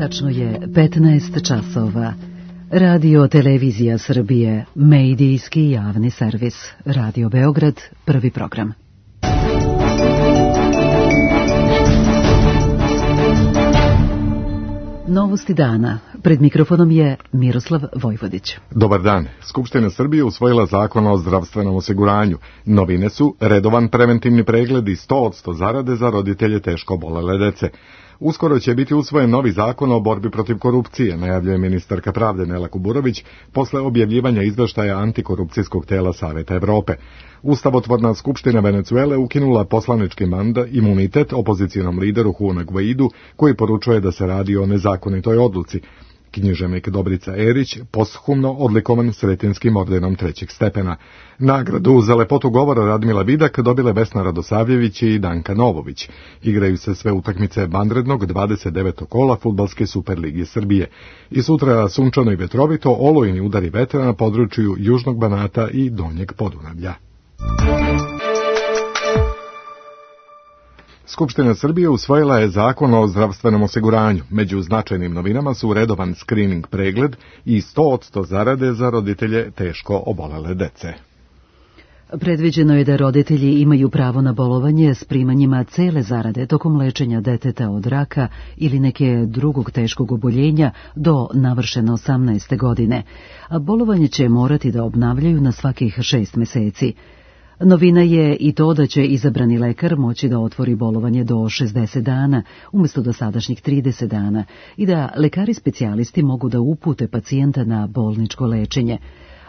Tačno je 15 časova. Radio Televizija Srbije, medijski javni servis. Radio Beograd, prvi program. Novosti dana. Pred mikrofonom je Miroslav Vojvodić. Dobar dan. Skupština Srbije usvojila zakon o zdravstvenom osiguranju. Novine su redovan preventivni pregled i 100% zarade za roditelje teško obolele dece. Uskoro će biti usvojen novi zakon o borbi protiv korupcije, najavljuje ministarka pravde Nela Kuburović posle objavljivanja izveštaja antikorupcijskog tela Saveta Evrope. Ustavotvorna skupština Venecuele ukinula poslanički imunitet opozicionom lideru Juanu Guaidu, koji poručuje da se radi o nezakonitoj odluci. Književnik Dobrica Erić posthumno odlikovan Sretinskim ordenom 3. stepena. Nagradu za lepotu govora Radmila Vidak dobile Vesna Radosavljević i Danka Novović. Igraju se sve utakmice vanrednog 29. kola Fudbalske Superlige Srbije. I sutra sunčano i vetrovito, olujni udari vetra na području Južnog Banata i Donjeg Podunavlja. Skupština Srbije usvojila je zakon o zdravstvenom osiguranju. Među značajnim novinama su redovan screening pregled i 100% zarade za roditelje teško obolele dece. Predviđeno je da roditelji imaju pravo na bolovanje s primanjima cele zarade tokom lečenja deteta od raka ili neke drugog teškog oboljenja do navršene 18. godine, a bolovanje će morati da obnavljaju na svakih 6 meseci. Novina je i to da će izabrani lekar moći da otvori bolovanje do 60 dana, umjesto dosadašnjih 30 dana, i da lekari specijalisti mogu da upute pacijenta na bolničko lečenje.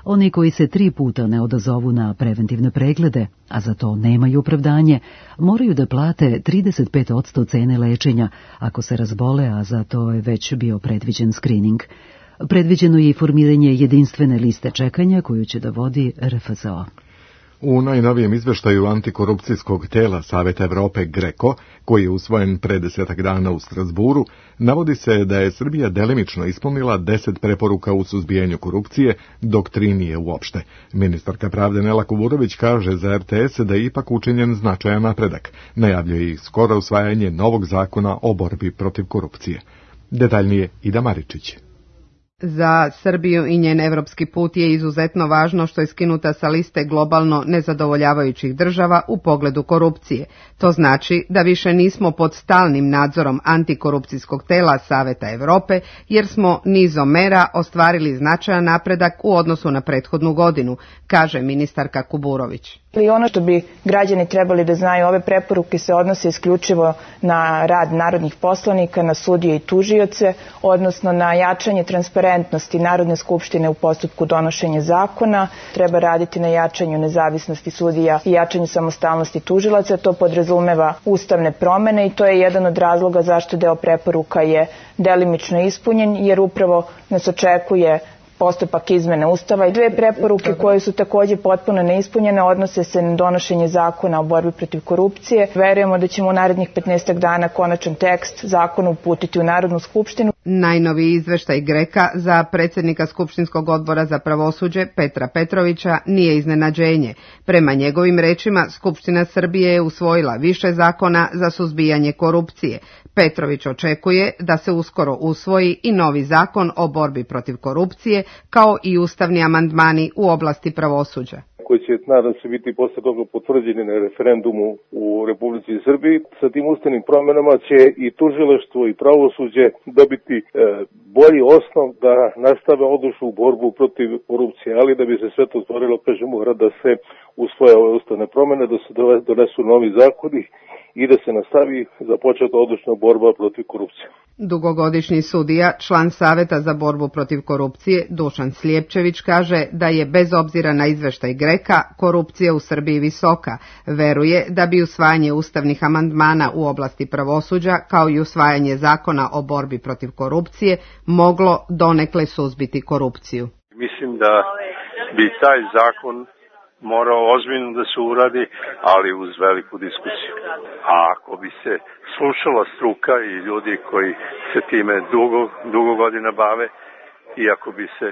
Oni koji se 3 puta ne odazovu na preventivne preglede, a za to nemaju opravdanje, moraju da plate 35% cene lečenja ako se razbole, a za to je već bio predviđen screening. Predviđeno je i formiranje jedinstvene liste čekanja koju će da vodi RFZO. U najnovijem izveštaju antikorupcijskog tela Saveta Evrope GRECO, koji je usvojen pre 10 dana u Strasburu, navodi se da je Srbija delimično ispunila 10 preporuka u suzbijanju korupcije, dok 3 nije uopšte. Ministarka pravde Nela Kuburović kaže za RTS da je ipak učinjen značajan napredak. Najavljuje i skoro usvajanje novog zakona o borbi protiv korupcije. Detaljnije Ida Maričić. Za Srbiju i njen evropski put je izuzetno važno što je skinuta sa liste globalno nezadovoljavajućih država u pogledu korupcije. To znači da više nismo pod stalnim nadzorom antikorupcijskog tela Saveta Evrope, jer smo nizom mera ostvarili značajan napredak u odnosu na prethodnu godinu, kaže ministarka Kuburović. I ono što bi građani trebali da znaju, ove preporuke se odnose isključivo na rad narodnih poslanika, na sudije i tužioce, odnosno na jačanje transparentnosti Narodne skupštine u postupku donošenja zakona. Treba raditi na jačanju nezavisnosti sudija i jačanju samostalnosti tužilaca. To podrazumeva ustavne promene i to je jedan od razloga zašto deo preporuka je delimično ispunjen, jer upravo nas očekuje postupak izmene Ustava i 2 preporuke koje su također potpuno neispunjene odnose se na donošenje zakona o borbi protiv korupcije. Verujemo da ćemo u narednih 15 dana konačan tekst zakona uputiti u Narodnu skupštinu. Najnoviji izveštaj GRECA za predsjednika Skupštinskog odbora za pravosuđe Petra Petrovića nije iznenađenje. Prema njegovim rečima, Skupština Srbije je usvojila više zakona za suzbijanje korupcije. Petrović očekuje da se uskoro usvoji i novi zakon o borbi protiv korupcije, kao i ustavni amandmani u oblasti pravosuđa, koji će, nadam se, biti posle toga potvrđeni na referendumu u Republici Srbiji. Sa tim ustavnim promjenama će i tužilaštvo i pravosuđe dobiti bolji osnov da nastave odlučnu borbu protiv korupcije, ali da bi se sve to stvorilo, mora da se usvoje ove ustavne promjene, da se donesu novi zakoni i da se nastavi započeta odlučna borba protiv korupcije. Dugogodišnji sudija, član Saveta za borbu protiv korupcije, Dušan Slijepčević, kaže da je bez obzira na izveštaj GRECA korupcija u Srbiji visoka. Veruje da bi usvajanje ustavnih amandmana u oblasti pravosuđa, kao i usvajanje zakona o borbi protiv korupcije, moglo donekle suzbiti korupciju. Mislim da bi taj zakon morao ozbiljno da se uradi, ali uz veliku diskusiju. A ako bi se slušala struka i ljudi koji se time dugo godina bave, i ako bi se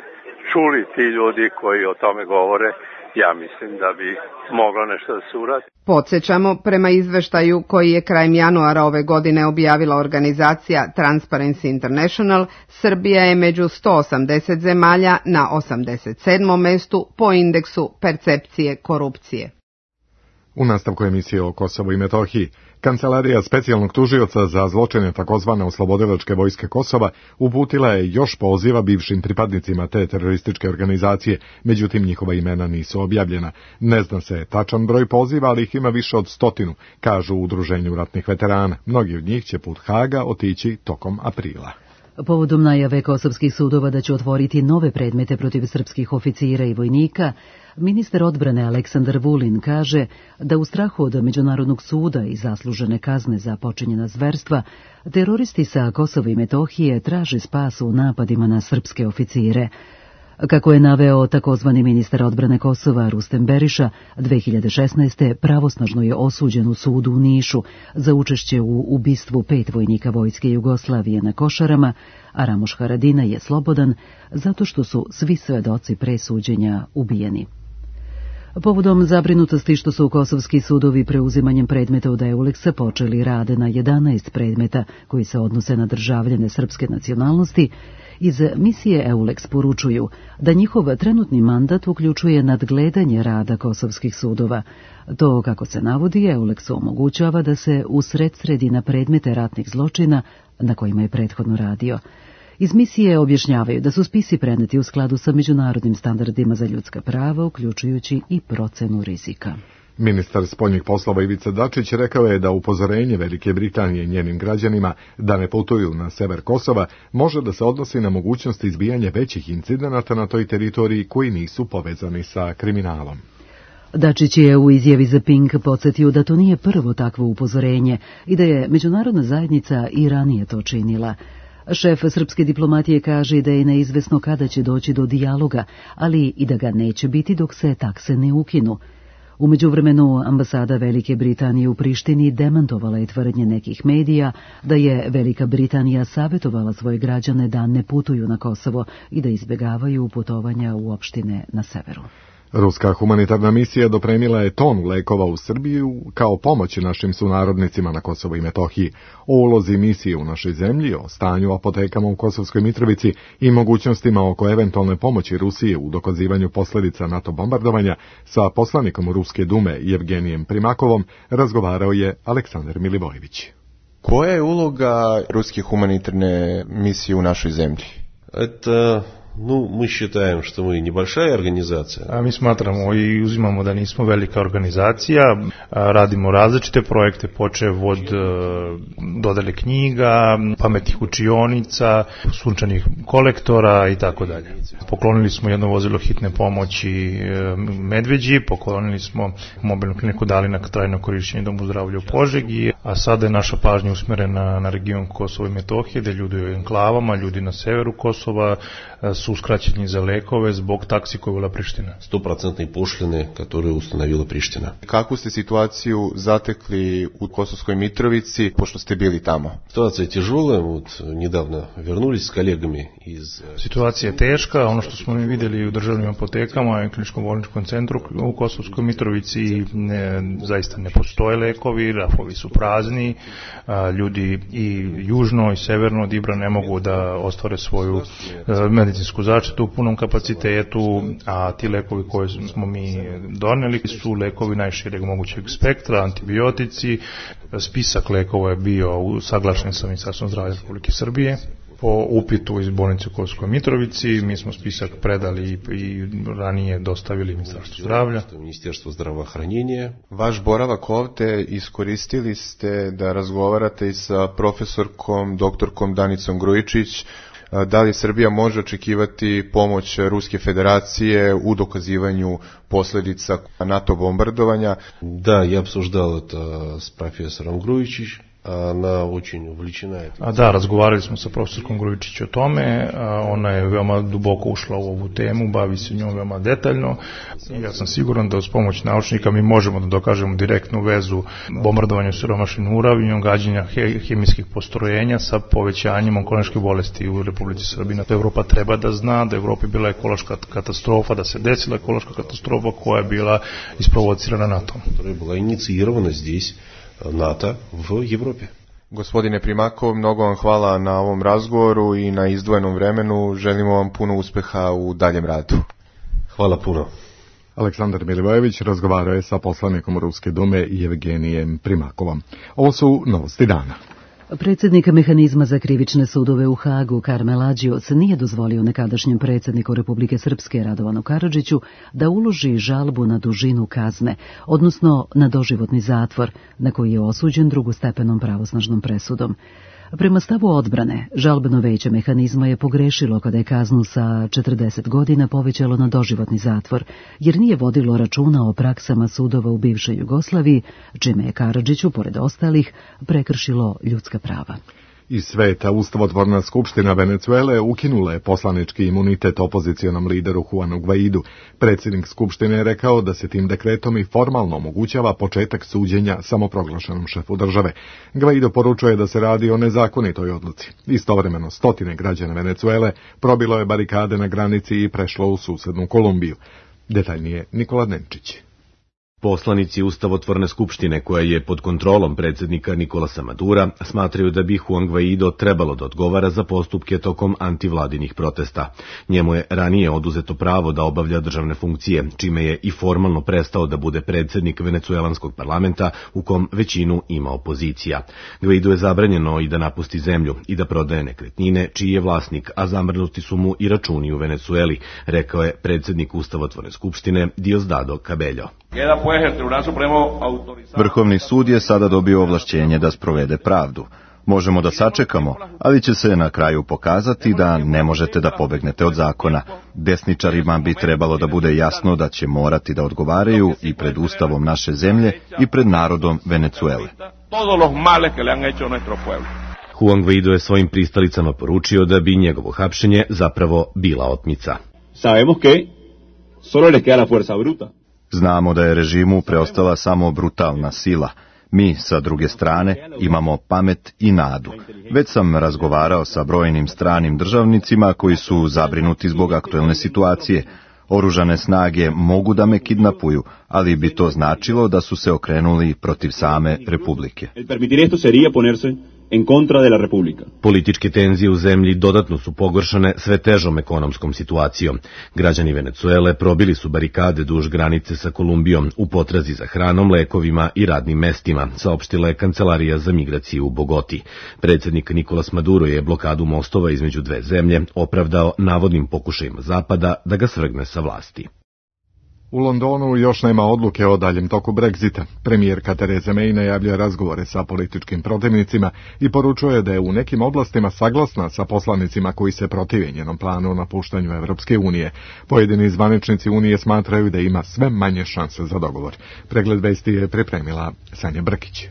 čuli ti ljudi koji o tome govore, ja mislim da bi moglo nešto da se uradi. Podsjećamo, prema izveštaju koji je krajem januara ove godine objavila organizacija Transparency International, Srbija je među 180 zemalja na 87. mestu po indeksu percepcije korupcije. U nastavku emisije o Kosovu i Metohiji, Kancelarija specijalnog tužioca za zločine takozvane oslobodilačke vojske Kosova uputila je još poziva bivšim pripadnicima te terorističke organizacije, međutim njihova imena nisu objavljena. Ne zna se tačan broj poziva, ali ih ima više od 100, kažu u Udruženju ratnih veterana. Mnogi od njih će put Haga otići tokom aprila. Povodom najave kosovskih sudova da će otvoriti nove predmete protiv srpskih oficira i vojnika, ministar odbrane Aleksandar Vulin kaže da u strahu od Međunarodnog suda i zaslužene kazne za počinjena zverstva, teroristi sa Kosova i Metohije traže spas u napadima na srpske oficire. Kako je naveo takozvani ministar odbrane Kosova Rustem Beriša, 2016. pravosnažno je osuđen u sudu u Nišu za učešće u ubistvu 5 vojnika vojske Jugoslavije na Košarama, a Ramoš Haradina je slobodan zato što su svi svedoci pre suđenja ubijeni. Povodom zabrinutosti što su kosovski sudovi preuzimanjem predmeta od Euleksa počeli rade na 11 predmeta koji se odnose na državljane srpske nacionalnosti, iz misije Euleks poručuju da njihov trenutni mandat uključuje nadgledanje rada kosovskih sudova. To, kako se navodi, Euleksu omogućava da se usredsredi na predmete ratnih zločina na kojima je prethodno radio. Iz misije objašnjavaju da su spisi preneti u skladu sa međunarodnim standardima za ljudska prava, uključujući i procenu rizika. Ministar spoljnih poslova Ivica Dačić rekao je da upozorenje Velike Britanije njenim građanima da ne putuju na sever Kosova može da se odnosi na mogućnost izbijanja većih incidenata na toj teritoriji koji nisu povezani sa kriminalom. Dačić je u izjavi za Pink podsjetio da to nije prvo takvo upozorenje i da je međunarodna zajednica i ranije to činila. Šef srpske diplomatije kaže da je neizvesno kada će doći do dijaloga, ali i da ga neće biti dok se takse ne ukinu. U međuvremenu ambasada Velike Britanije u Prištini demantovala je tvrdnje nekih medija da je Velika Britanija savjetovala svoje građane da ne putuju na Kosovo i da izbjegavaju putovanja u opštine na severu. Ruska humanitarna misija dopremila je tonu lekova u Srbiju kao pomoć našim sunarodnicima na Kosovu i Metohiji. O ulozi misije u našoj zemlji, o stanju apotekama u Kosovskoj Mitrovici i mogućnostima oko eventualne pomoći Rusije u dokazivanju posljedica NATO bombardovanja sa poslanikom Ruske dume Jevgenijem Primakovom razgovarao je Aleksandar Milivojević. Koja je uloga ruske humanitarne misije u našoj zemlji? Мы считаем, что мы небольшая организация. Mi smatramo i uzimamo da nismo velika organizacija, radimo različite projekte, počev od dodele knjiga, pametnih učionica, sunčanih kolektora i tako dalje. Poklonili smo jedno vozilo hitne pomoći Medveđi, poklonili smo mobilnu kliniku, dali na trajno korišćenje Domu zdravlja u Požegi, a sada je naša pažnja usmjerena na region Kosova i Metohije, gdje ljudi u enklavama, ljudi na severu Kosova su uskraćeni za lekove zbog taksi koju je uvela Priština. 100% pošljene koje ustanovila Priština. Kakvu ste situaciju zatekli u Kosovskoj Mitrovici, pošto ste bili tamo? Situacija je tježola, nedavno vernulis s kolegami iz... Situacija je teška, ono što smo mi vidjeli u državnim apotekama i kliničkom bolničkom centru u Kosovskoj Mitrovici zaista ne postoje lekovi, rafovi su prazni, ljudi i južno i severno od Ibra ne mogu da ostvare svoju medicinsku zaštitu u punom kapacitetu, a ti lekovi koje smo mi doneli su lekovi najšireg mogućeg spektra, antibiotici. Spisak lekova je bio saglašen sa Ministarstvom zdravlja Republike Srbije. Po upitu iz bolnice u Kosovskoj Mitrovici mi smo spisak predali i ranije dostavili Ministarstvu zdravlja. Ministarstvo zdravoohranjenja. Vaš boravak ovde iskoristili ste da razgovarate i sa profesorkom, doktorkom Danicom Grujičić. Da li Srbija može očekivati pomoć Ruske federacije u dokazivanju posljedica NATO bombardovanja? Da, ja обсуждал это с профессором Груjičić. Она очень увлечена. Da, razgovarali smo sa profesorkom Grujičić o tome, ona je veoma duboko ušla u ovu temu, bavi se njom veoma detaljno. Ja sam siguran da uz pomoć naučnika mi možemo da dokažemo direktnu vezu bombardovanja siromašnim uranijom, gađanja hemijskih postrojenja sa povećanjem onkološke bolesti u Republici Srbiji. Evropa treba da zna da je u Evropi bila ekološka katastrofa, da se desila ekološka katastrofa koja je bila isprovocirana NATO-om. Koja je bila inicirana здесь NATO v Evropi. Gospodine Primakov, mnogo vam hvala na ovom razgovoru i na izdvojenom vremenu. Želimo vam puno uspeha u daljem radu. Hvala puno. Aleksandar Milivojević razgovarao je sa poslanikom Ruske dume Jevgenijem Primakovom. Ovo su novosti dana. Predsjednik mehanizma za krivične sudove u Hagu, Karmel Adžioc, nije dozvolio nekadašnjem predsjedniku Republike Srpske, Radovanu Karadžiću, da uloži žalbu na dužinu kazne, odnosno na doživotni zatvor, na koji je osuđen drugostepenom pravosnažnom presudom. Prema stavu odbrane, žalbeno veće mehanizma je pogrešilo kada je kaznu sa 40 godina povećalo na doživotni zatvor, jer nije vodilo računa o praksama sudova u bivšoj Jugoslaviji, čime je Karadžiću, pored ostalih, prekršilo ljudska prava. Iz sveta Ustavotvorna skupština Venecuele ukinula je poslanički imunitet opozicionom lideru Juanu Guaidu. Predsjednik skupštine je rekao da se tim dekretom i formalno omogućava početak suđenja samoproglašenom šefu države. Guaido poručuje da se radi o nezakonitoj odluci. Istovremeno stotine građana Venecuele probilo je barikade na granici i prešlo u susednu Kolumbiju. Detaljnije Nikola Nenčić. Poslanici Ustavotvorne skupštine, koja je pod kontrolom predsjednika Nikolasa Madura, smatraju da bi Juan Guaido trebalo da odgovara za postupke tokom antivladinih protesta. Njemu je ranije oduzeto pravo da obavlja državne funkcije, čime je i formalno prestao da bude predsjednik venecuelanskog parlamenta u kom većinu ima opozicija. Guaido je zabranjeno i da napusti zemlju i da prodaje nekretnine čiji je vlasnik, a zamrznuti su mu i računi u Venecueli, rekao je predsjednik Ustavotvorne skupštine Diosdado Cabello. Vrhovni sud je sada dobio ovlašćenje da sprovede pravdu. Možemo da sačekamo, ali će se na kraju pokazati da ne možete da pobegnete od zakona. Desničarima bi trebalo da bude jasno da će morati da odgovaraju i pred ustavom naše zemlje i pred narodom Venecuele. Juan Guaido je svojim pristalicama poručio da bi njegovo hapšenje zapravo bila otmica. Znamo da je režimu preostala samo brutalna sila. Mi, sa druge strane, imamo pamet i nadu. Već sam razgovarao sa brojnim stranim državnicima koji su zabrinuti zbog aktuelne situacije. Oružane snage mogu da me kidnapuju, ali bi to značilo da su se okrenuli protiv same Republike. Političke tenzije u zemlji dodatno su pogoršane sve težom ekonomskom situacijom. Građani Venecuele probili su barikade duž granice sa Kolumbijom u potrazi za hranom, lekovima i radnim mestima, saopštila je Kancelarija za migraciju u Bogoti. Predsjednik Nikolas Maduro je blokadu mostova između dve zemlje opravdao navodnim pokušajima Zapada da ga svrgne sa vlasti. U Londonu još nema odluke o daljem toku Brexita. Premijerka Theresa May najavlja razgovore sa političkim protivnicima i poručuje da je u nekim oblastima saglasna sa poslanicima koji se protive njenom planu o napuštanju Evropske unije. Pojedini zvaničnici unije smatraju da ima sve manje šanse za dogovor. Pregled vesti je pripremila Sanja Brkić.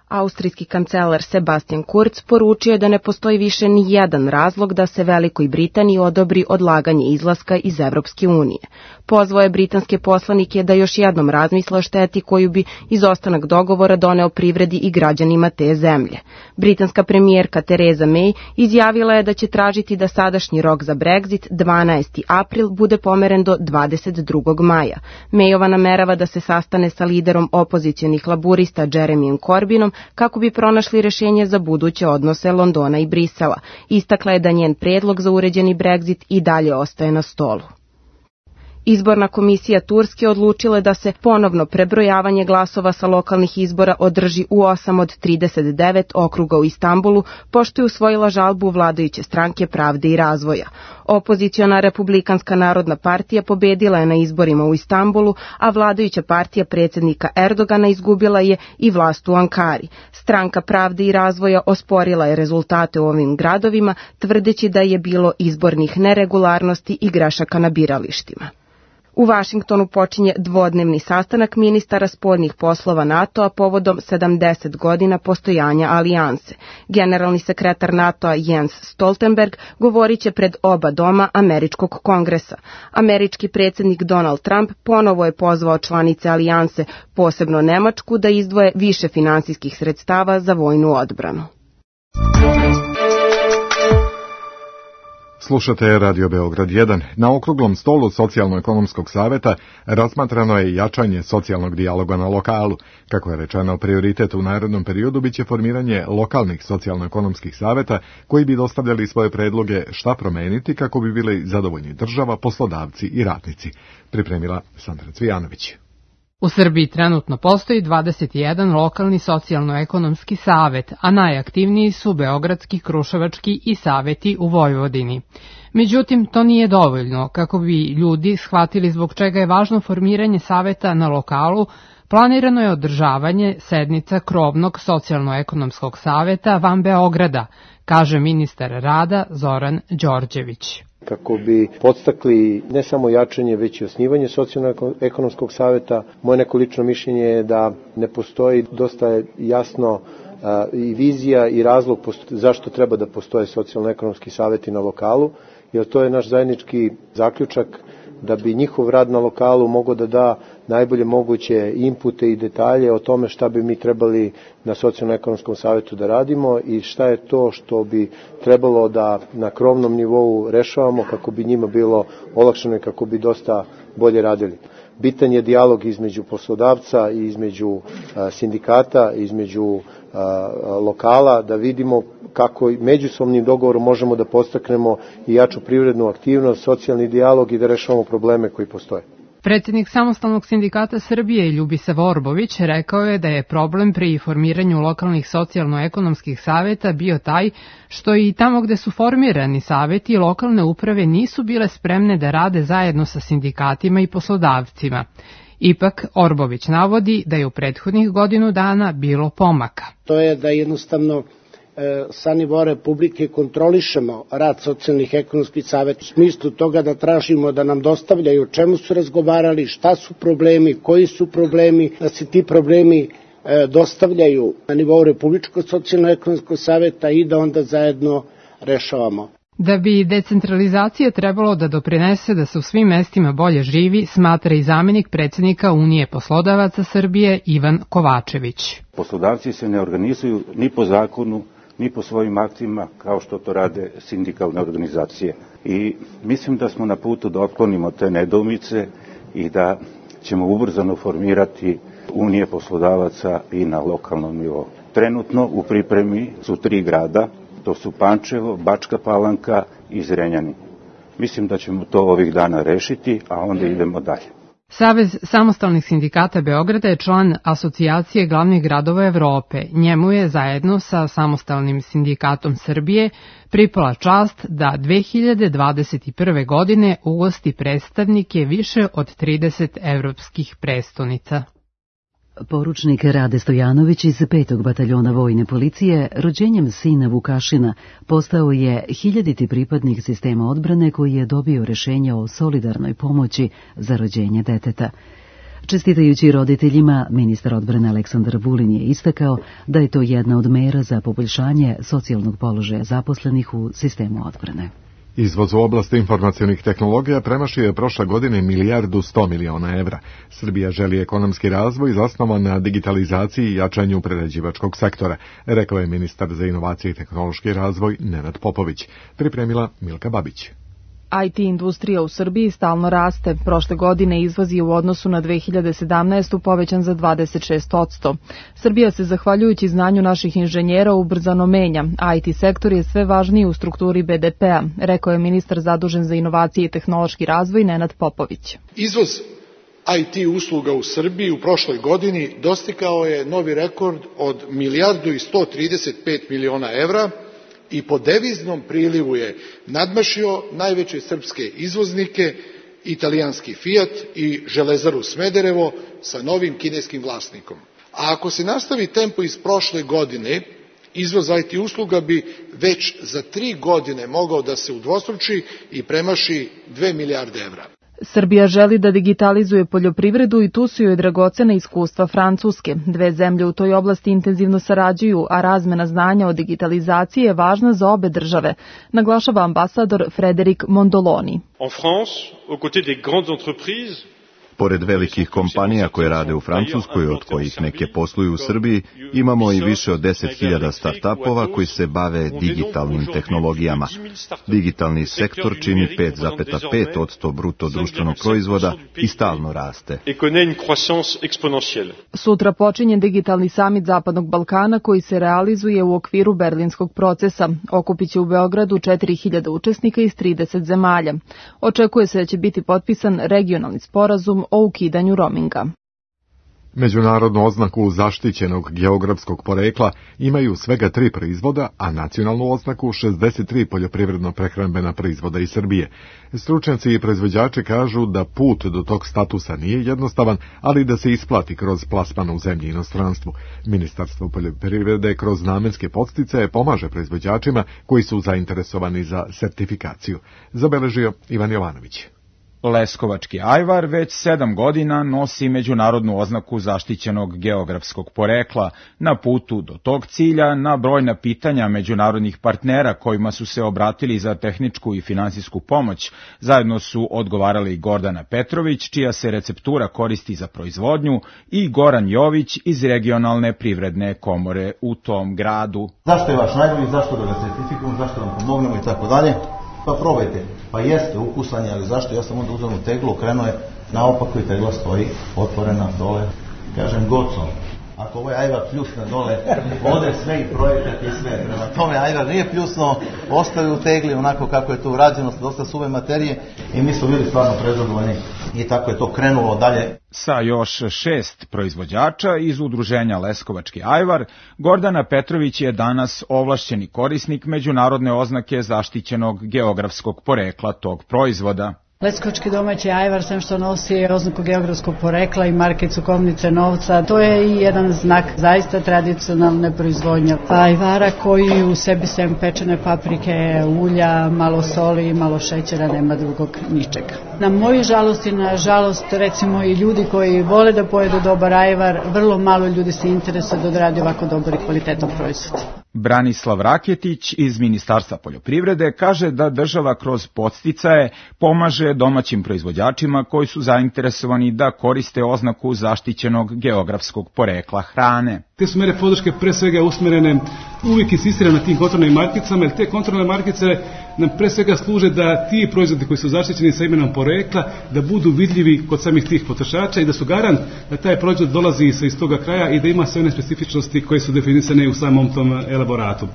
Austrijski kancelar Sebastian Kurz poručio je da ne postoji više ni jedan razlog da se Velikoj Britaniji odobri odlaganje izlaska iz Evropske unije. Pozvao je britanske poslanike da još jednom razmisle o šteti koju bi izostanak dogovora doneo privredi i građanima te zemlje. Britanska premijerka Theresa May izjavila je da će tražiti da sadašnji rok za Brexit, 12. april, bude pomeren do 22. maja. Mayova namerava da se sastane sa liderom opozicionih laburista Jeremyjem Corbynom kako bi pronašli rješenje za buduće odnose Londona i Brisela. Istakla je da njen predlog za uređeni Brexit i dalje ostaje na stolu. Izborna komisija Turske odlučila je da se ponovno prebrojavanje glasova sa lokalnih izbora održi u 8 od 39 okruga u Istanbulu, pošto je usvojila žalbu vladajuće stranke Pravde i razvoja. Opoziciona Republikanska narodna partija pobedila je na izborima u Istanbulu, a vladajuća partija predsjednika Erdogana izgubila je i vlast u Ankari. Stranka Pravde i razvoja osporila je rezultate u ovim gradovima, tvrdeći da je bilo izbornih neregularnosti i grešaka na biralištima. U Vašingtonu počinje dvodnevni sastanak ministara spoljnih poslova NATO-a povodom 70 godina postojanja alijanse. Generalni sekretar NATO-a Jens Stoltenberg govorit će pred oba doma Američkog kongresa. Američki predsjednik Donald Trump ponovo je pozvao članice alijanse, posebno Nemačku, da izdvoje više finansijskih sredstava za vojnu odbranu. Slušate Radio Beograd 1. Na okruglom stolu Socijalno-ekonomskog saveta razmatrano je jačanje socijalnog dijaloga na lokalu. Kako je rečeno, prioritet u narednom periodu biće formiranje lokalnih socijalno-ekonomskih saveta koji bi dostavljali svoje predloge šta promeniti kako bi bili zadovoljni država, poslodavci i radnici. Pripremila Sandra Cvijanović. U Srbiji trenutno postoji 21 lokalni socijalno-ekonomski savet, a najaktivniji su beogradski, kruševački i saveti u Vojvodini. Međutim, to nije dovoljno. Kako bi ljudi shvatili zbog čega je važno formiranje saveta na lokalu, planirano je održavanje sednica krovnog socijalno-ekonomskog saveta van Beograda, kaže ministar rada Zoran Đorđević. Kako bi podstakli ne samo jačanje, već i osnivanje socijalno-ekonomskog saveta. Moje neko lično mišljenje je da ne postoji dosta jasno i vizija i razlog zašto treba da postoje socijalno-ekonomski saveti na lokalu, jer to je naš zajednički zaključak da bi njihov rad na lokalu mogao da da najbolje moguće inpute i detalje o tome šta bi mi trebali na socijalno-ekonomskom savetu da radimo i šta je to što bi trebalo da na krovnom nivou rešavamo kako bi njima bilo olakšano i kako bi dosta bolje radili. Bitan je dijalog između poslodavca i između sindikata, između lokala, da vidimo kako međusobnim dogovorom možemo da podstaknemo i jaču privrednu aktivnost, socijalni dijalog i da rešavamo probleme koji postoje. Predsjednik Samostalnog sindikata Srbije Ljubisa Orbović rekao je da je problem pri formiranju lokalnih socijalno-ekonomskih saveta bio taj što i tamo gde su formirani saveti lokalne uprave nisu bile spremne da rade zajedno sa sindikatima i poslodavcima. Ipak, Orbović navodi da je u prethodnih godinu dana bilo pomaka. To je da jednostavno sa nivoa Republike kontrolišemo rad socijalnih ekonomskih saveta u smislu toga da tražimo da nam dostavljaju o čemu su razgovarali, šta su problemi, koji su problemi, da se ti problemi dostavljaju na nivou Republičkog socijalno-ekonomskog saveta i da onda zajedno rešavamo. Da bi decentralizacija trebalo da doprinese da se u svim mestima bolje živi, smatra i zamenik predsjednika Unije poslodavaca Srbije Ivan Kovačević. Poslodavci se ne organizuju ni po zakonu, ni po svojim aktima kao što to rade sindikalne organizacije. I mislim da smo na putu da otklonimo te nedoumice i da ćemo ubrzano formirati Unije poslodavaca i na lokalnom nivou. Trenutno u pripremi su 3 grada, to su Pančevo, Bačka Palanka i Zrenjanin. Mislim da ćemo to ovih dana rešiti, a onda idemo dalje. Savez samostalnih sindikata Beograda je član Asocijacije glavnih gradova Evrope. Njemu je zajedno sa Samostalnim sindikatom Srbije pripala čast da 2021. godine ugosti predstavnike više od 30 evropskih prestonica. Poručnik Rade Stojanović iz 5. bataljona vojne policije rođenjem sina Vukašina postao je 1000. pripadnik sistema odbrane koji je dobio rešenje o solidarnoj pomoći za rođenje deteta. Čestitajući roditeljima, ministar odbrane Aleksandar Vulin je istakao da je to jedna od mera za poboljšanje socijalnog položaja zaposlenih u sistemu odbrane. Izvoz u oblasti informacionih tehnologija premašio je prošle godine 1.100 miliona evra. Srbija želi ekonomski razvoj zasnovan na digitalizaciji i jačanju prerađivačkog sektora, rekao je ministar za inovacije i tehnološki razvoj Nenad Popović. Pripremila Milka Babić. IT industrija u Srbiji stalno raste. Prošle godine izvoz je u odnosu na 2017. povećan za 26%. Srbija se, zahvaljujući znanju naših inženjera, ubrzano menja. IT sektor je sve važniji u strukturi BDP-a, rekao je ministar zadužen za inovacije i tehnološki razvoj Nenad Popović. Izvoz IT usluga u Srbiji u prošloj godini dostigao je novi rekord od 1.135 miliona evra, i po deviznom prilivu je nadmašio najveće srpske izvoznike, italijanski Fiat i Železaru Smederevo sa novim kineskim vlasnikom. A ako se nastavi tempo iz prošle godine, izvoz IT usluga bi već za 3 godine mogao da se udvostruči i premaši 2 milijarde evra. Srbija želi da digitalizuje poljoprivredu i tu su joj dragocena iskustva Francuske. Dve zemlje u toj oblasti intenzivno sarađuju, a razmena znanja o digitalizaciji je važna za obe države, naglašava ambasador Frederik Mondoloni. En France, aux côtés des grandes entreprises, pored velikih kompanija koje rade u Francuskoj, od kojih neke posluju u Srbiji, imamo i više od 10.000 start-upova koji se bave digitalnim tehnologijama. Digitalni sektor čini 5,5% bruto društvenog proizvoda i stalno raste. Sutra počinje digitalni samit Zapadnog Balkana koji se realizuje u okviru berlinskog procesa. Okupiće u Beogradu 4.000 učesnika iz 30 zemalja. Očekuje se da će biti potpisan regionalni sporazum o ukidanju roaminga. Međunarodnu oznaku zaštićenog geografskog porekla imaju svega 3 proizvoda, a nacionalnu oznaku 63 poljoprivredno-prehrambena proizvoda iz Srbije. Stručnjaci i proizvođači kažu da put do tog statusa nije jednostavan, ali da se isplati kroz plasman u zemlji i inostranstvu. Ministarstvo poljoprivrede kroz namenske podsticaje pomaže proizvođačima koji su zainteresovani za sertifikaciju. Zabeležio Ivan Jovanović. Leskovački ajvar već 7 godina nosi međunarodnu oznaku zaštićenog geografskog porekla. Na putu do tog cilja, na brojna pitanja međunarodnih partnera kojima su se obratili za tehničku i finansijsku pomoć, zajedno su odgovarali Gordana Petrović, čija se receptura koristi za proizvodnju, i Goran Jović iz regionalne privredne komore u tom gradu. Zašto je vaš najbolji, zašto da ga certifikujemo, zašto vam pomognemo i tako dalje? Pa probajte. Pa jeste, ukusan je, ali zašto? Ja sam onda uzeo teglu, okrenuo je naopako i tegla stoji otvorena dole. Kažem, goco, ako ovaj ajvar pljusne dole, ode sve i projekat i sve. Prema tome, ajvar nije pljusno, ostavi u tegli onako kako je to urađeno, dosta suve materije i mi smo bili stvarno prezadovoljni i tako je to krenulo dalje. Sa još 6 proizvođača iz udruženja Leskovački ajvar, Gordana Petrović je danas ovlašćeni korisnik međunarodne oznake zaštićenog geografskog porekla tog proizvoda. Leskovački domaći ajvar, sem što nosi oznaku geografskog porekla i markicu kovnice novca, to je i jedan znak zaista tradicionalne proizvodnje ajvara koji u sebi sem pečene paprike, ulja, malo soli, malo šećera, nema drugog ničega. Na moju žalost i na žalost recimo i ljudi koji vole da pojedu dobar ajvar, vrlo malo ljudi se interesuje da odradi ovako dobar i kvalitetan proizvod. Branislav Raketić iz Ministarstva poljoprivrede kaže da država kroz podsticaje pomaže domaćim proizvođačima koji su zainteresovani da koriste oznaku zaštićenog geografskog porekla hrane. Te su mere podrške pre svega usmerene, uvijek insistirane na tim kontrolnim markicama, jer te kontrolne markice nam pre svega služe da ti proizvodi koji su zaštićeni sa imenom porekla, da budu vidljivi kod samih tih potrošača i da su garant da taj proizvod dolazi iz toga kraja i da ima sve one specifičnosti koje su definisane u samom tom elaboratu.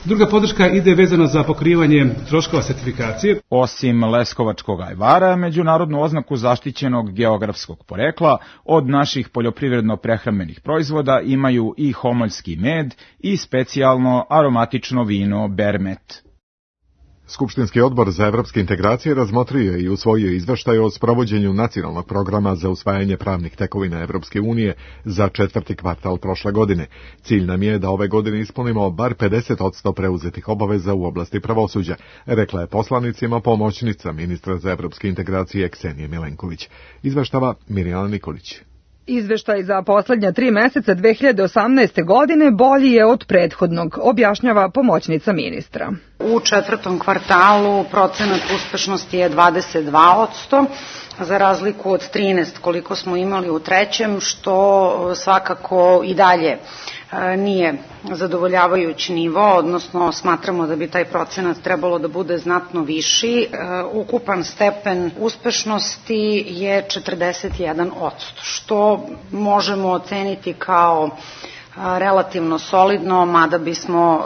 Druga podrška ide vezana za pokrivanje troškova sertifikacije. Osim leskovačkog ajvara, međunarodnu oznaku zaštićenog geografskog porekla od naših poljoprivredno-prehrambenih proizvoda imaju i homoljski med i specijalno aromatično vino Bermet. Skupštinski odbor za evropske integracije razmotrio je i usvojio izveštaj o sprovođenju nacionalnog programa za usvajanje pravnih tekovina Evropske unije za 4. kvartal prošle godine. Cilj nam je da ove godine ispunimo bar 50% preuzetih obaveza u oblasti pravosuđa, rekla je poslanicima pomoćnica ministra za evropske integracije Ksenije Milenković. Izveštava Mirjana Nikolić. Izveštaj za poslednja 3 meseca 2018. godine bolji je od prethodnog, objašnjava pomoćnica ministra. U 4. kvartalu procenat uspešnosti je 22%, za razliku od 13 koliko smo imali u 3. što svakako i dalje nije zadovoljavajući nivo, odnosno smatramo da bi taj procenat trebalo da bude znatno viši. Ukupan stepen uspešnosti je 41%, što možemo oceniti kao relativno solidno, mada bismo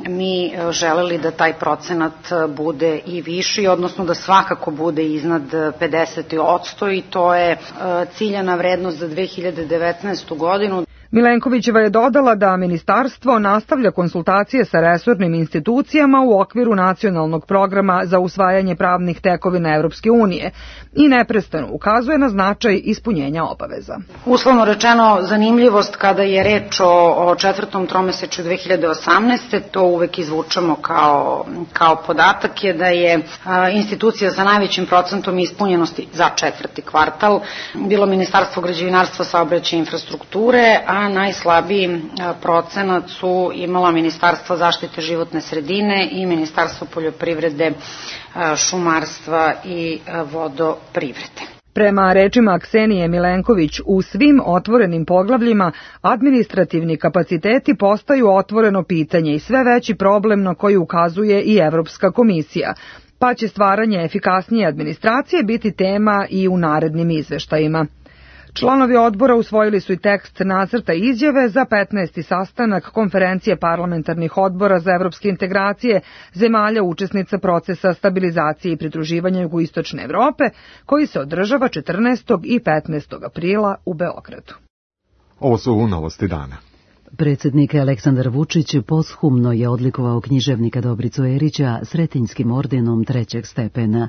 mi želeli da taj procenat bude i viši, odnosno da svakako bude iznad 50% i to je ciljana vrednost za 2019. godinu. Milenkovićeva je dodala da ministarstvo nastavlja konsultacije sa resornim institucijama u okviru nacionalnog programa za usvajanje pravnih tekovina Evropske unije i neprestano ukazuje na značaj ispunjenja obaveza. Uslovno rečeno, zanimljivost kada je reč o četvrtom tromesečju 2018. to uvek izvučemo kao podatak je da je institucija sa najvećim procentom ispunjenosti za četvrti kvartal bilo Ministarstvo građevinarstva, saobraćaja i infrastrukture, a najslabiji procenat su imala Ministarstvo zaštite životne sredine i Ministarstvo poljoprivrede, šumarstva i vodoprivrede. Prema rečima Ksenije Milenković, u svim otvorenim poglavljima administrativni kapaciteti postaju otvoreno pitanje i sve veći problem na koji ukazuje i Evropska komisija, pa će stvaranje efikasnije administracije biti tema i u narednim izveštajima. Članovi odbora usvojili su i tekst nacrta izjave za 15. sastanak konferencije parlamentarnih odbora za evropske integracije zemalja učesnica procesa stabilizacije i pridruživanja Jugoistočne Evrope, koji se održava 14. i 15. aprila u Beogradu. Ovo su novosti dana. Predsjednik Aleksandar Vučić poshumno je odlikovao književnika Dobricu Erića Sretenjskim ordenom 3. stepena.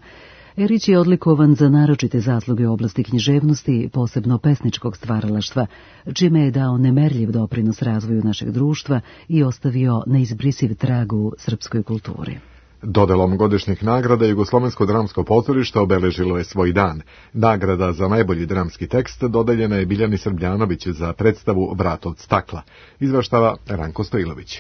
Erić je odlikovan za naročite zasluge u oblasti književnosti, posebno pesničkog stvaralaštva, čime je dao nemerljiv doprinos razvoju našeg društva i ostavio neizbrisiv trag u srpskoj kulturi. Dodelom godišnjih nagrada Jugoslovensko dramsko pozorište obeležilo je svoj dan. Nagrada za najbolji dramski tekst dodeljena je Biljani Srbljanović za predstavu Vrat od stakla. Izveštava Ranko Stojilović.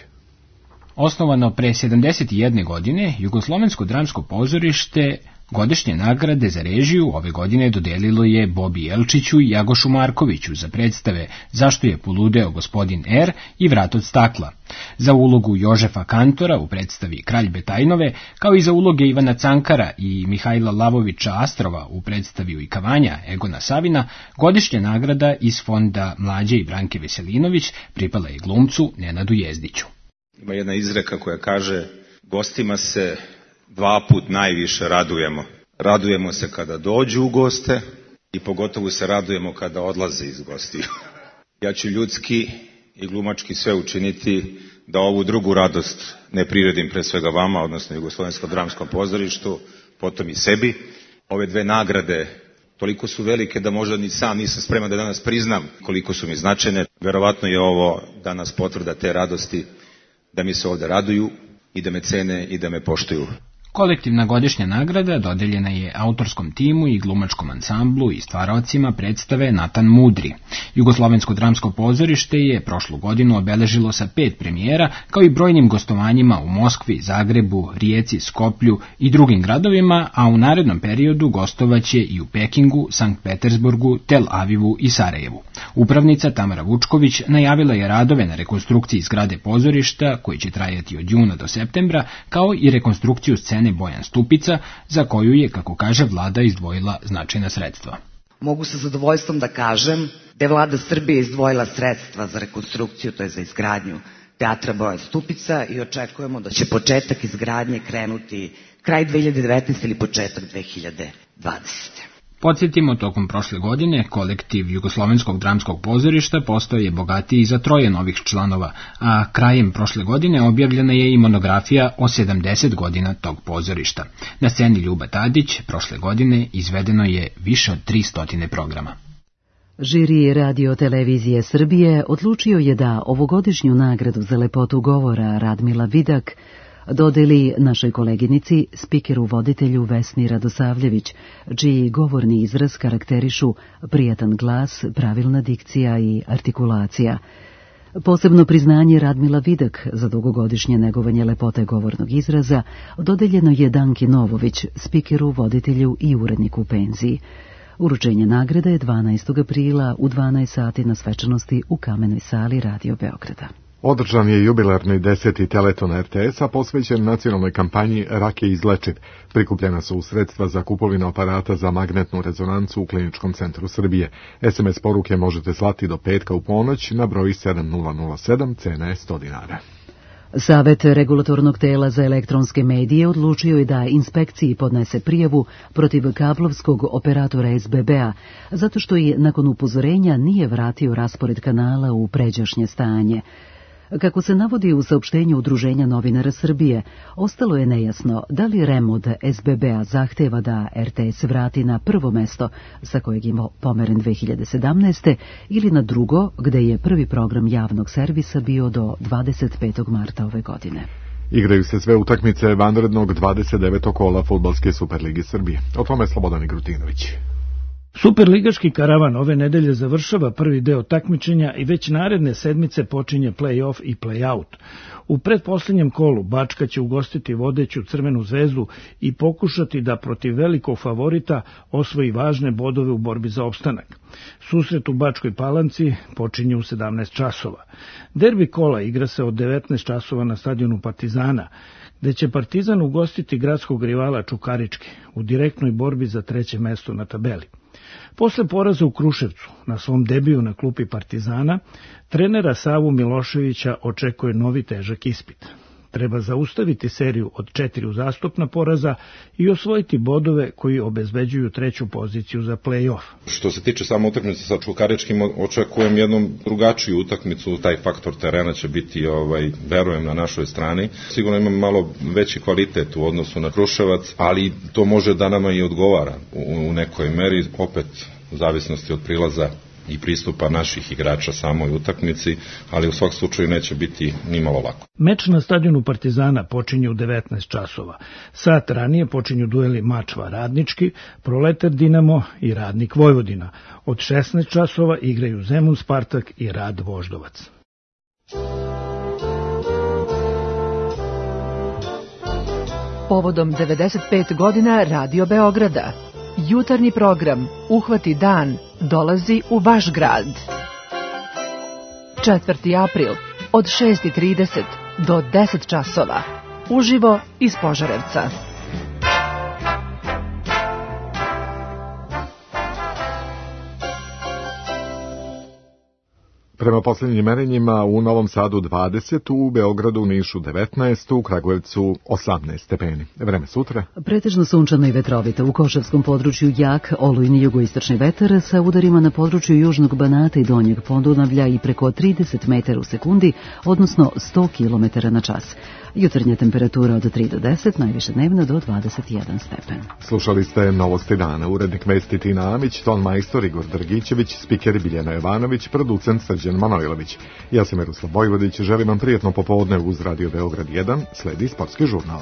Osnovano pre 71 godine, Jugoslovensko dramsko pozorište godišnje nagrade za režiju ove godine dodelilo je Bobi Jelčiću i Jagošu Markoviću za predstave Zašto je poludeo gospodin R i Vrat od stakla, za ulogu Jožefa Kantora u predstavi Kralj Betajnove, kao i za uloge Ivana Cankara i Mihajla Lavovića Astrova u predstavi Ujkavanja Egona Savina. Godišnja nagrada iz fonda Mlađe i Branke Veselinović pripala je glumcu Nenadu Jezdiću. Ima jedna izreka koja kaže: gostima se dva put najviše radujemo. Radujemo se kada dođu u goste i pogotovo se radujemo kada odlaze iz gostiju. Ja ću ljudski i glumački sve učiniti da ovu drugu radost ne priredim pre svega vama, odnosno Jugoslovenskom dramskom pozorištu, potom i sebi. Ove dve nagrade toliko su velike da možda ni sam nisam spreman da danas priznam koliko su mi značajne. Verovatno je ovo danas potvrda te radosti da mi se ovde raduju i da me cene i da me poštuju. Kolektivna godišnja nagrada dodeljena je autorskom timu i glumačkom ansamblu i stvaraocima predstave Natan Mudri. Jugoslovensko dramsko pozorište je prošlu godinu obeležilo sa 5 premijera, kao i brojnim gostovanjima u Moskvi, Zagrebu, Rijeci, Skoplju i drugim gradovima, a u narednom periodu gostovaće i u Pekingu, Sankt Petersburgu, Tel Avivu i Sarajevu. Upravnica Tamara Vučković najavila je radove na rekonstrukciji zgrade pozorišta, koji će trajati od juna do septembra, kao i rekonstrukciju scene Bojan Stupica, za koju je, kako kaže, vlada izdvojila značajna sredstva. Mogu sa zadovoljstvom da kažem da je vlada Srbije izdvojila sredstva za rekonstrukciju, to je za izgradnju teatra Bojan Stupica, i očekujemo da će početak izgradnje krenuti kraj 2019. ili početak 2020. Podsjetimo, tokom prošle godine kolektiv Jugoslovenskog dramskog pozorišta postao je bogatiji za 3 novih članova, a krajem prošle godine objavljena je i monografija o 70 godina tog pozorišta. Na sceni Ljuba Tadić prošle godine izvedeno je više od 300 programa. Žiri Radio Televizije Srbije odlučio je da ovogodišnju nagradu za lepotu govora Radmila Vidak dodeli našoj koleginici, spikeru voditelju Vesni Radosavljević, čiji govorni izraz karakterišu prijatan glas, pravilna dikcija i artikulacija. Posebno priznanje Radmila Vidak za dugogodišnje negovanje lepote govornog izraza dodeljeno je Danki Novović, spikeru, voditelju i uredniku u penziji. Uručenje nagrade je 12. aprila u 12 sati na svečanosti u Kamenoj sali Radio Beograda. Održan je jubilarni 10. teleton RTS-a posvećen nacionalnoj kampanji Rak je izlečiv. Prikupljena su sredstva za kupovinu aparata za magnetnu rezonancu u Kliničkom centru Srbije. SMS poruke možete slati do petka u ponoć na broj 7007, cena je 100 dinara. Savet regulatornog tela za elektronske medije odlučio je da inspekciji podnese prijavu protiv kablovskog operatora SBB-a, zato što je nakon upozorenja nije vratio raspored kanala u pređašnje stanje. Kako se navodi u saopštenju Udruženja novinara Srbije, ostalo je nejasno da li REM od SBB-a zahteva da RTS vrati na prvo mesto sa kojeg je pomeren 2017. ili na drugo, gde je prvi program javnog servisa bio do 25. marta ove godine. Igraju se sve utakmice vanrednog 29. kola Fudbalske Superligi Srbije. O tome Slobodan Grutinović. Superligaški karavan ove nedelje završava prvi deo takmičenja i već naredne sedmice počinje play-off i play-out. U pretposlednjem kolu Bačka će ugostiti vodeću Crvenu zvezdu i pokušati da protiv velikog favorita osvoji važne bodove u borbi za opstanak. Susret u Bačkoj Palanci počinje u 17 časova. Derbi kola igra se od 19 časova na stadionu Partizana, gde će Partizan ugostiti gradskog rivala Čukarički u direktnoj borbi za treće mesto na tabeli. Posle poraza u Kruševcu, na svom debiju na klupi Partizana, trenera Savu Miloševića očekuje novi težak ispit. Treba zaustaviti seriju od 4 uzastopna poraza i osvojiti bodove koji obezbeđuju treću poziciju za play-off. Što se tiče samo utakmice sa Čukaričkim, očekujem jednu drugačiju utakmicu, taj faktor terena će biti, verujem, na našoj strani. Sigurno imam malo veći kvalitet u odnosu na Kruševac, ali to može da nama i odgovara u nekoj meri, opet u zavisnosti od prilaza i pristupa naših igrača samoj utakmici, ali u svakom slučaju neće biti ni malo lako. Meč na stadionu Partizana počinje u 19 časova. Sat ranije počinju dueli Mačva Radnički, Proletar Dinamo i Radnik Vojvodina. Od 16 časova igraju Zemun Spartak i Rad Voždovac. Povodom 95 godina Radio Beograda, jutarnji program Uhvati dan dolazi u vaš grad. 4. april od 6:30 do 10 časova. Uživo iz Požarevca. Prema posljednjim merenjima u Novom Sadu 20, u Beogradu, Nišu 19, u Kragujevcu 18 stepeni. Vreme sutra. Pretežno sunčano i vetrovito. U Košavskom području jak, olujni jugoistočni vetar sa udarima na području Južnog Banata i Donjeg Podunavlja i preko 30 metara u sekundi, odnosno 100 km na čas. Jutarnja temperatura od 3 do 10, najviše dnevna do 21 stepen. Slušali ste Novosti dana, urednik vesti Tina Amić, ton majstor Igor Drgićević, spiker Biljana Jovanović, producent Srđan Manojlović. Ja sam Miroslav Vojvodić, želim vam prijetno popodne uz Radio Beograd 1, sledi sportski žurnal.